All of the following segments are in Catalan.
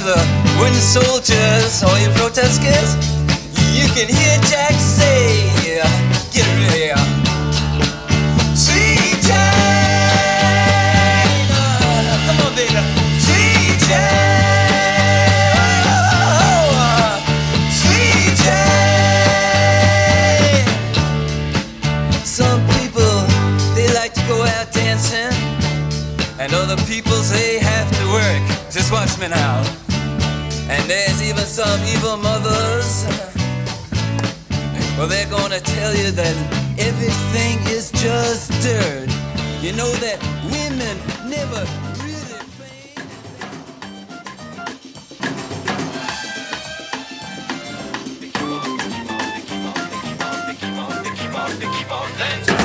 the wooden soldiers, all you protesters, you can hear Jack say, get rid of here. Sweet Jane, come on baby, Sweet Jane, Sweet Jane. Some people, they like to go out dancing, and other people say have to work. Just watch me now. And there's even some evil mothers, well, they're gonna tell you that everything is just dirt. You know that women never really think. They keep on dancing.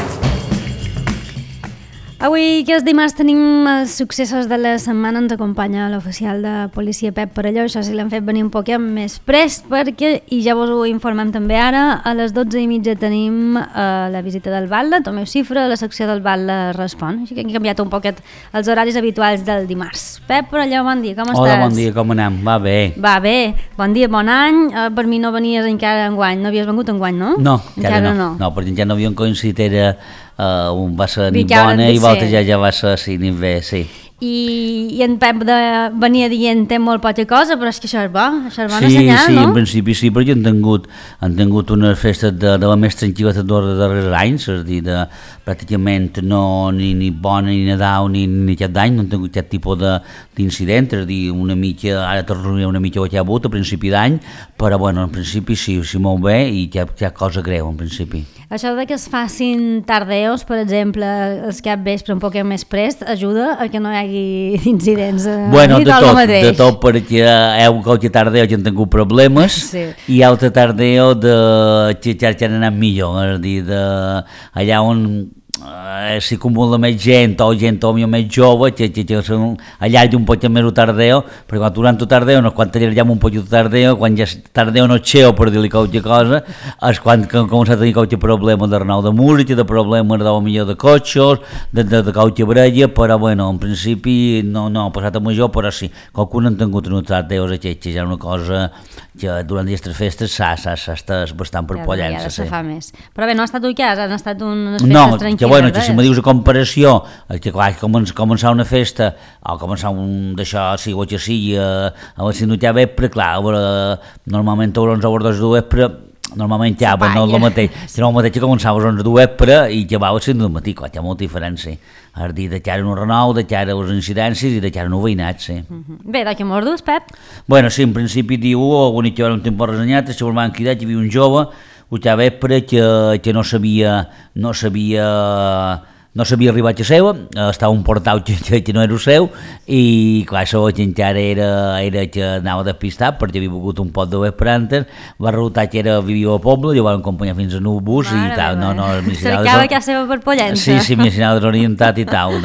Avui, que és dimarts, tenim els successos de la setmana. Ens acompanya l'oficial de policia Pep Parelló. Això sí, l'hem fet venir un poquet més prest perquè, i ja vos ho informem també ara, a les 12:30 tenim la visita del Batlle, Tomeu Cifra, la secció del Batlle respon. Així que hem canviat un poquet els horaris habituals del dimarts. Pep Parelló, bon dia, com estàs? Hola, bon dia, com anem? Va bé. Va bé, bon dia, bon any. Per mi no venies encara enguany, no havies vengut enguany, no? No, encara no. No, perquè encara no havíem coincidit, era... va ser nit bona i l'altre ja va ser sí, nit bé, sí. I en Pep venia dient té molt poca cosa, però és que això és bo, això és bona senyal, sí, no? Sí, en principi sí, perquè han tingut unes festes de la més tranquil·la dels darrers anys, és a dir, pràcticament no ni bona ni Nadal ni cap d'any, no han tingut cap tipus d'incident, és a dir, una mica, ara tornaria una mica que ha hagut a principi d'any, però bueno, en principi sí molt bé i cap cosa greu, en principi. Això de que es facin tardeos, per exemple, els cap vespre un poc més prest, ajuda a que no hi hagi incidents bueno, de tot, perquè qualque tardeo que han tingut problemes sí. I altre tardeo que han anat millor, és a dir, allà on si acumula més gent o més jove que allarga un poc més el tardeo, perquè quan durant el tardeo no és quan allargam un poc el tardeo, quan ja el tardeo no és seu, per dir-li qualque cosa, és quan comença a tenir qualque problema de renou de música, de problema millor de cotxes, de qualque brella, però bueno, en principi no ha passat a major, però sí, qualcun han tingut uns tardeos aquests, ja una cosa que durant aquestes festes s'ha estat bastant per pollença. Ja se fa més. Però bé, no ha estat un cas, han estat unes festes tranquil·les. Que bueno, que si me dius a comparació, que clar, començar una festa, o començar d'això, sigui o que sigui, a la ciutat vespre, clar, normalment a les 11 de vespre, normalment ja, no el mateix, sinó el mateix que començava a les 11 de vespre i que va a les 5 del matí, clar, hi ha molta diferència. És a dir, de cara a un renou, de cara a les incidències i de cara a un veïnat, sí. Bé, de què mordus, Pep? Bueno, sí, en principi diu, l'únic que vam tenir per resenyat, si us van cridar, que hi havia un jove, a vespre que no sabia arribar a seu, estava un portal que no era el seu i clar, això que encara era que anava despistat perquè havia begut un pot de vespre antes, va resultar que vivia al poble, jo vam acompanyar fins a un bus i tal, cercava que seva per Pollença. Sí, m'hi anava desorientat i tal,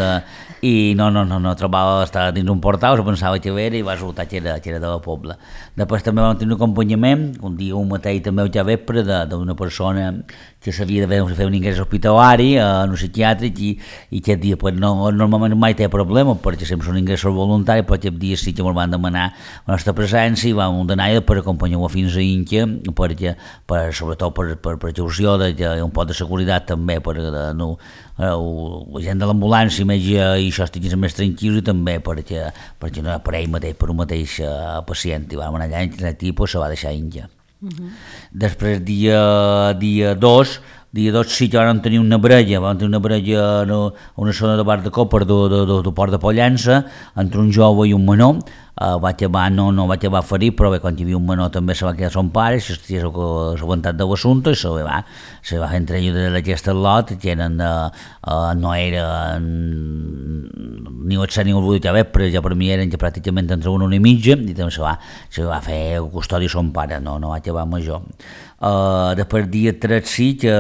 i no, trobava, estava dins un portal, pensava que era i va resultar que era de la Pobla. Després també vam tenir un acompanyament, un dia un mateix també al vespre, d'una persona que s'havia de fer un ingrés hospitalari en un psiquiàtric i aquest dia pues, normalment mai té problema perquè sempre són ingressos voluntaris, però aquest dia sí que ens van demanar la nostra presència i vam anar per acompanyar-ho fins a Inca sobretot per precaució d'un pot de seguretat també per la gent de l'ambulància i això estiguin més tranquils i també perquè no per ell mateix, per un mateix pacient i vam anar allà i aquest tipus se va deixar Inca. Després dia 2 sí que vam tenir una brella a una zona de bar de copa del port de Pollença entre un jove i un menor. No va acabar ferit, però bé, quan hi havia un menor també se va quedar son pare, s'ha aguantat de l'assumpte i se va fer entre ells d'aquest lot que no era ni el 7 ni el 8 però ja per mi eren ja pràcticament entre una i mitja i també se va fer custòdia son pare, no va acabar major. Després dia 3 sí que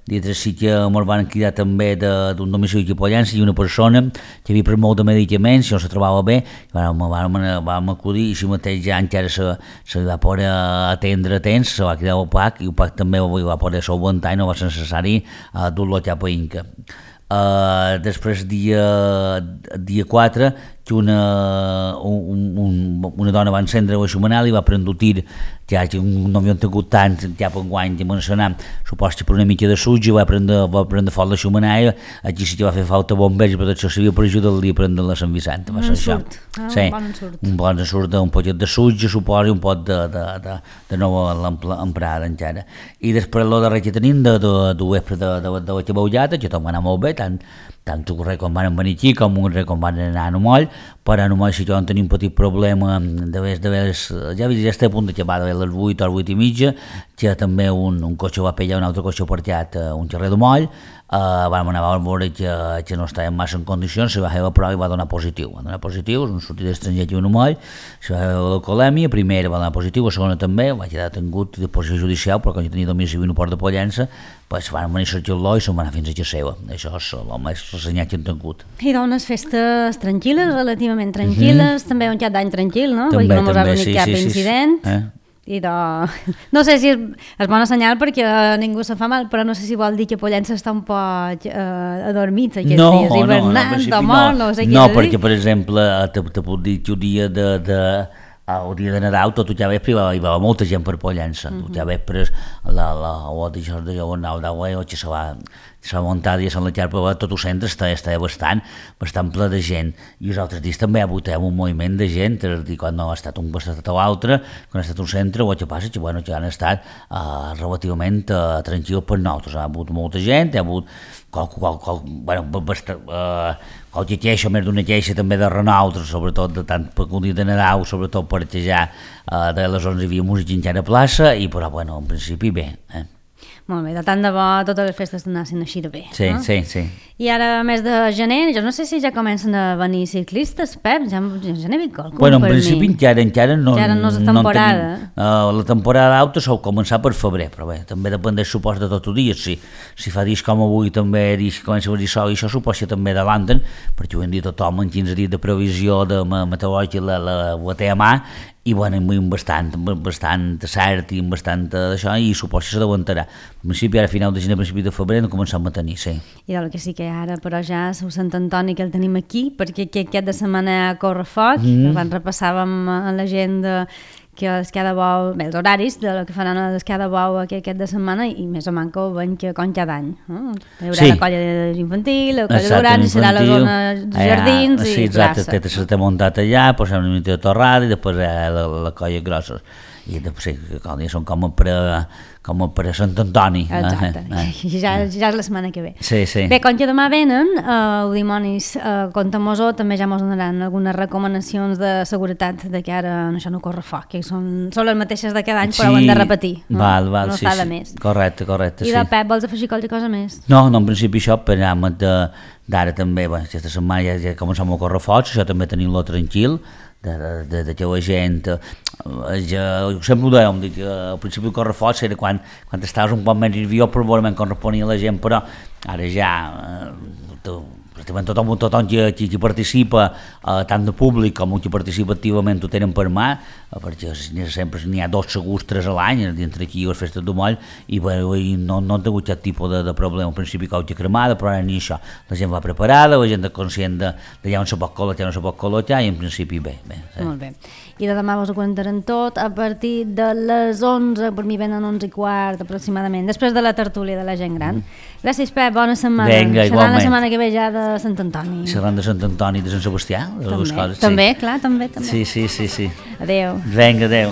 ens van cridar també d'un domicili de Pollença i una persona que havia pres molt de medicaments i no se trobava bé, vam acudir i així mateix ja encara se va poder atendre a temps, se va cridar el PAC i el PAC també va poder solventar i no va ser necessari dur-lo cap a Inca. Després dia 4 que una dona va encendre la xumanel i va prendre un tir, ja que no havien tingut tant ja per enguany de mencionar, supos que per una mica de suig va prendre foc la xumanel, aquí sí que va fer falta bombers i protecció civil per ajudar-li a prendre la Sant Vicent. Un ensurt, sí, un bon ensurt, un poquet de suig, suposo, i un pot de nova emprada encara. I després el darrer que tenim de vespre de la Caballata, que tot va anar molt bé, tant un res com van venir aquí com un res com van anar a Nomoll, però a Nomoll sí que vam tenir un petit problema ja està a punt d'acabar de les 8 o les 8 i mitja, que també un cotxe va pegar un altre cotxe aparcat a un carrer de Moll, vam anar a veure que no estàvem massa en condicions, se va fer la prova i va donar positiu, és un sortit estranger aquí a Nomoll, se va fer l'alcoholèmia, primera va donar positiu, la segona també, va quedar detingut de posició judicial, però quan jo tenia domicili no Port de Pollença, pues van venir a cercar-lo i se'n van anar fins a casa seva, això és el més ressenyat que hem tingut. I dones festes tranquil·les, relativament tranquil·les, també un cap d'any tranquil, no? També, no mos ha venit cap incident. I no sé si és bona senyal perquè ningú se fa mal, però no sé si vol dir que Pollença està un poc adormit aquests dies, hivernant o mort, no sé què. No, perquè per exemple te puc dir que el dia de Nadal tot el vespre hi va molta gent per Pollença, tot el vespre que se va muntar dies en la xarpa, tot el centre estava bastant ple de gent, i els altres dies també hi ha hagut un moviment de gent, és a dir, quan no ha estat un costat o l'altre, quan ha estat un centre, el que passa que han estat relativament tranquils per nosaltres, ha hagut molta gent, hi ha hagut qualque queixa, més d'una queixa també de Renaultres, sobretot tant per un dia de Nadal, sobretot perquè ja de les 11 hi havia música encara a plaça, però en principi bé. Molt bé, de tant de bo totes les festes anassin així de bé. Sí, no? sí. I ara, mes de gener, jo no sé si ja comencen a venir ciclistes, Pep, ja n'he vist qualcun per mi. En principi encara no és temporada. La temporada alta sol començar per febrer, però bé, també depèn del supòs de tot el dia. Si fa dies com avui també comença a venir sol, i això supòs que també adelanten, perquè ho hem dit tothom en 15 dies de previsió de meteorològica la té a mà, i bastant cert i bastant d'això, i supòs que s'adelantarà. En principi, ara a final de gener, a principi de febrer, no començam a tenir, sí. I del que sí que ara, però ja és Sant Antoni que el tenim aquí, perquè aquest de setmana corre foc, abans repassàvem a l'agenda que l'esquia bou, bé, els horaris del que faran a l'esquia bou aquest de setmana, i més o manca ho veiem que com cada any. Hi haurà la colla infantil, la colla d'horari, serà la zona de jardins i plaça. Sí, exacte, s'ha muntat allà, posem una mica de torrada i després la colla grossa. I després són com per a Sant Antoni. Exacte, ja és la setmana que ve. Sí. Bé, com que demà venen, Dimonis Contamosó també ja mos donaran algunes recomanacions de seguretat de que ara això no corre foc, que són les mateixes de cada any, però ho hem de repetir. Val, no està de més. Correcte, I de Pep, vols afegir qualque cosa més? No, en principi això, per d'ara també, aquesta setmana ja començam a córrer foc, això també tenim-lo tranquil, de que la gent sempre ho dèiem, al principi el correfoc era quan estaves un poc més nerviós per veure com responia la gent, però ara ja tothom qui participa, tant de públic com qui participa activament ho tenen per mà, perquè sempre n'hi ha 2 segurs, 3 a l'any entre aquí i les festes de Moll, i no han tingut cap tipus de problema. Al principi cauta cremada, però ara ni això, la gent va preparada, la gent és conscient d'allà on se pot col·locar, i en principi bé. Molt bé. I de demà vos ho contarem tot a partir de les 11, per mi venen 11:15 aproximadament, després de la tertúlia de la gent gran. Gràcies, Pep, bona setmana. Vinga, igualment. Serà la setmana que ve ja de Sant Antoni. Seran de Sant Antoni i de Sant Sebastià, les dues coses. També, clar, també. Sí. Adéu. Vinga, adéu.